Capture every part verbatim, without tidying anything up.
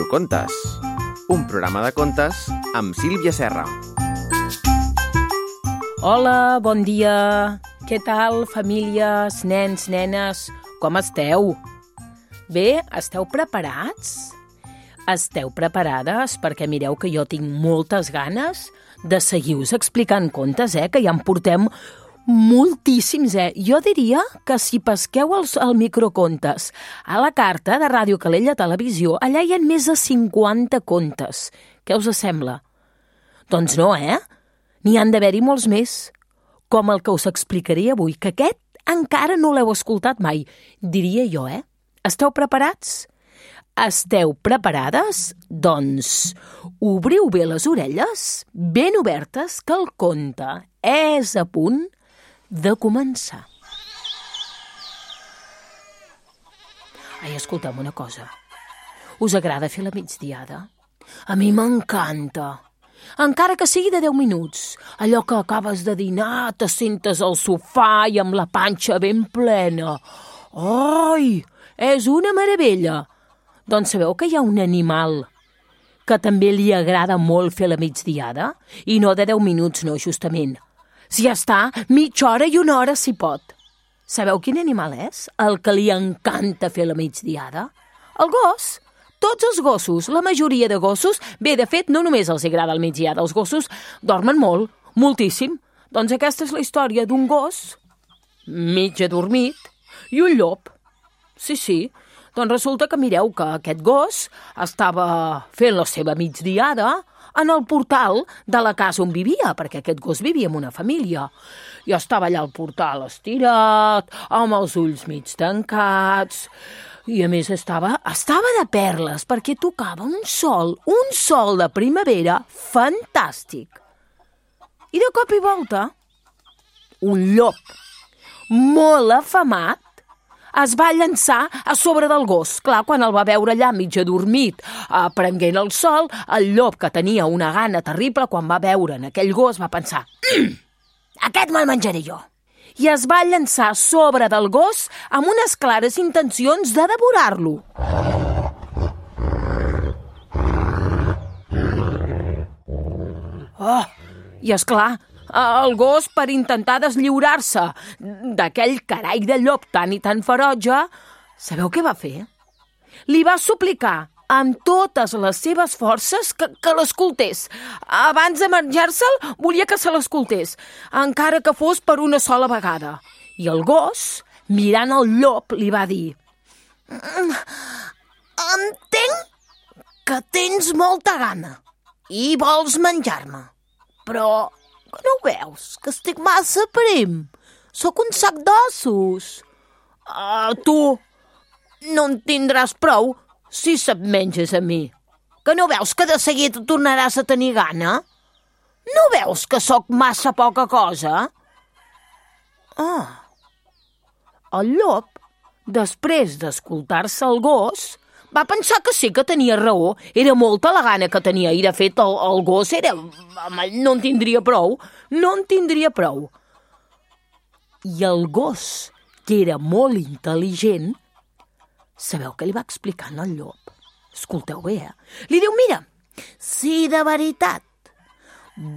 Microcontes, un programa de contes amb Sílvia Serra. Hola, bon dia. Què tal, famílies, nens, nenes? Com esteu? Bé, esteu preparats? Esteu preparades? Perquè mireu que jo tinc moltes ganes de seguir-vos explicant contes, eh? Que ja en portem moltíssims, eh? Jo diria que si pesqueu els, el microcontes a la carta de Ràdio Calella Televisió, allà hi ha més de cinquanta contes. Què us sembla? Doncs no, eh? N'hi han d'haver-hi molts més, com el que us explicaré avui, que aquest encara no l'heu escoltat mai, diria jo, eh? Esteu preparats? Esteu preparades? Doncs obriu bé les orelles, ben obertes, que el conte és a punt de començar. Ai, escolta'm una cosa. Us agrada fer la migdiada? A mi m'encanta. Encara que sigui de deu minuts. Allò que acabes de dinar, te sentes al sofà i amb la panxa ben plena. Ai, és una meravella. Doncs sabeu que hi ha un animal que també li agrada molt fer la migdiada? I no de deu minuts, no, justament. Si ja està, mitja hora i una hora si pot. Sabeu quin animal és? El que li encanta fer la migdiada? El gos. Tots els gossos, la majoria de gossos, bé, de fet, no només els agrada el migdiada, els gossos dormen molt, moltíssim. Doncs aquesta és la història d'un gos, mig adormit, i un llop. Sí, sí, doncs resulta que mireu que aquest gos estava fent la seva migdiada en el portal de la casa on vivia, perquè aquest gos vivia en una família. I estava allà al portal estirat, amb els ulls mig tancats, i a més estava, estava de perles, perquè tocava un sol, un sol de primavera fantàstic. I de cop i volta, un llop molt afamat es va llançar a sobre del gos. Clar, quan el va veure allà mig adormit, eh, prenguent el sol, el llop, que tenia una gana terrible, quan va veure en aquell gos, va pensar mm, aquest me'l menjaré jo. I es va llançar a sobre del gos amb unes clares intencions de devorar-lo. Oh, i esclar, el gos, per intentar deslliurar-se d'aquell carai de llop tan i tan ferotge, sabeu què va fer? Li va suplicar amb totes les seves forces que, que l'escoltés. Abans de menjar-se'l, volia que se l'escoltés, encara que fos per una sola vegada. I el gos, mirant el llop, li va dir: entenc que tens molta gana i vols menjar-me, però que no ho veus, que estic massa prim? Sóc un sac d'ossos. Uh, tu no en tindràs prou si se't menges a mi. Que no veus que de seguida tornaràs a tenir gana? No veus que sóc massa poca cosa? Ah. El llop, després d'escoltar-se el gos, va pensar que sí que tenia raó. Era molta la gana que tenia i, de fet, el, el gos era... no en tindria prou. No en tindria prou. I el gos, que era molt intel·ligent, sabeu què li va explicar al llop? Escolteu bé, eh? Li diu: mira, si de veritat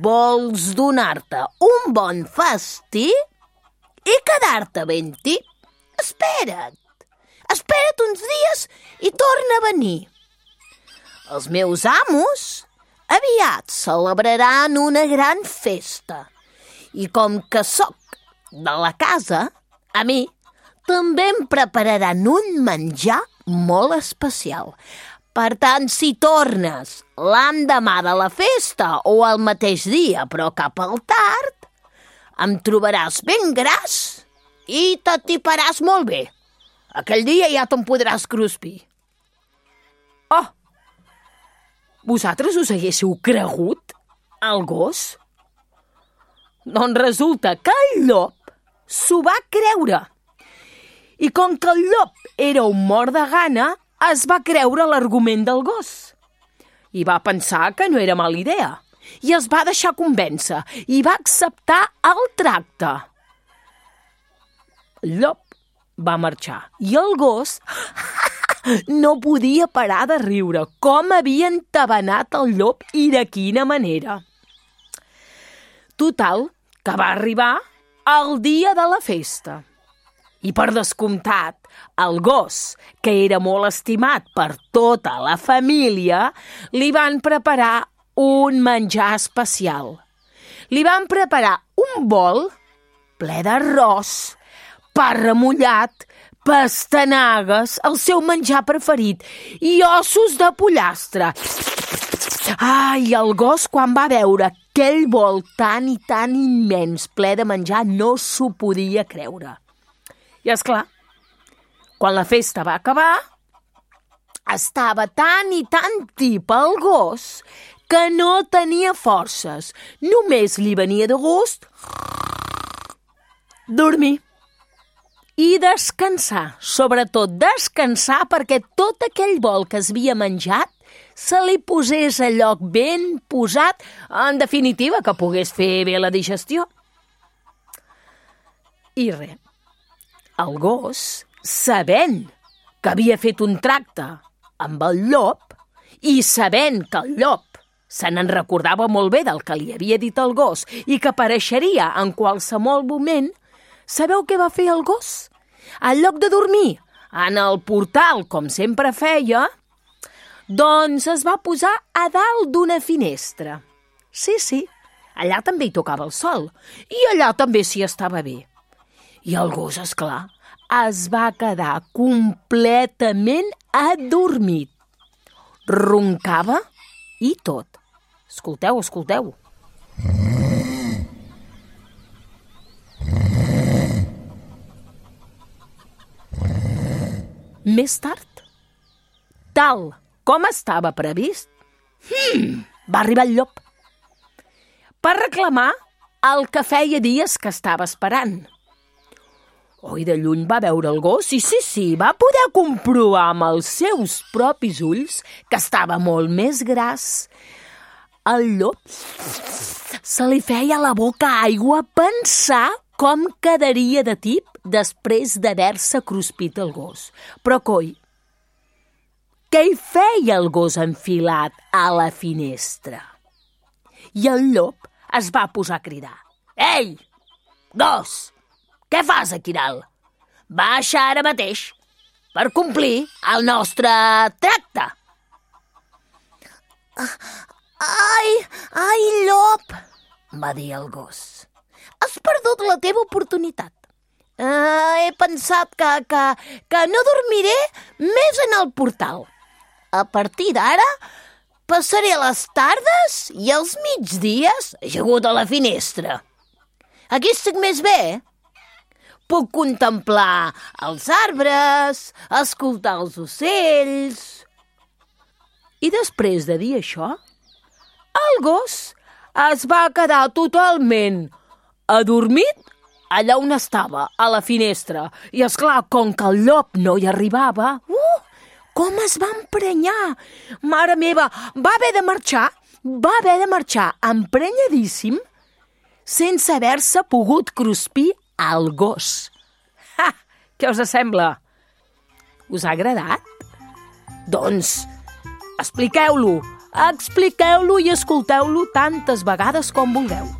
vols donar-te un bon festí i quedar-te ben tip, espera't. Espera't uns dies i torna a venir. Els meus amos aviat celebraran una gran festa. I com que sóc de la casa, a mi també em prepararan un menjar molt especial. Per tant, si tornes l'endemà de la festa o el mateix dia, però cap al tard, em trobaràs ben gras i t'atiparàs molt bé. Aquell dia ja te'n podràs cruspir. Oh! Vosaltres us haguéssiu cregut el gos? Doncs resulta que el llop s'ho va creure. I com que el llop era un mort de gana, es va creure l'argument del gos. I va pensar que no era mala idea. I es va deixar convèncer i va acceptar el tracte. El llop va marxar i el gos No podia parar de riure. Com havia entabanat el llop i de quina manera. Total, que va arribar el dia de la festa. I per descomptat, el gos, que era molt estimat per tota la família, li van preparar un menjar especial. Li van preparar un bol ple d'arròs, pa remullat, pastanagues, el seu menjar preferit, i ossos de pollastre. Ai, el gos, quan va veure aquell bol tan i tan immens ple de menjar, no s'ho podia creure. I és clar, quan la festa va acabar, estava tan i tan tip el gos que no tenia forces. Només li venia de gust dormir i descansar. Sobretot descansar perquè tot aquell bol que es havia menjat se li posés a lloc ben posat, en definitiva, que pogués fer bé la digestió. I res. El gos, sabent que havia fet un tracte amb el llop i sabent que el llop se n'en recordava molt bé del que li havia dit el gos i que apareixeria en qualsevol moment, sabeu què va fer el gos? En lloc de dormir en el portal, com sempre feia, doncs es va posar a dalt d'una finestra. Sí, sí, allà també hi tocava el sol i allà també s'hi estava bé. I el gos, esclar, es va quedar completament adormit. Roncava i tot. Escolteu, escolteu. Més tard, tal com estava previst, hmm, va arribar el llop per reclamar el que feia dies que estava esperant. Oi, de lluny va veure el gos i sí, sí, va poder comprovar amb els seus propis ulls que estava molt més gras. El llop se li feia a la boca aigua pensar com quedaria de tip després d'haver-se cruspit el gos. Però, coi, què hi feia el gos enfilat a la finestra? I el llop es va posar a cridar. Ei, gos! Què fas aquí dalt? Baixa ara mateix per complir el nostre tracte. Ai, ai, llop, va dir el gos. Has perdut la teva oportunitat. Uh, he pensat que, que, que no dormiré més en el portal. A partir d'ara passaré les tardes i els migdies ajagut a la finestra. Aquí estic més bé. Puc contemplar els arbres, escoltar els ocells. I després de dir això, el gos es va quedar totalment adormit allà on estava, a la finestra. I, esclar, com que el llop no hi arribava, uh, com es va emprenyar! Mare meva, va haver de marxar, va haver de marxar emprenyadíssim sense haver-se pogut cruspir al gos. Ha! Què us sembla? Us ha agradat? Doncs expliqueu-lo, expliqueu-lo i escolteu-lo tantes vegades com vulgueu.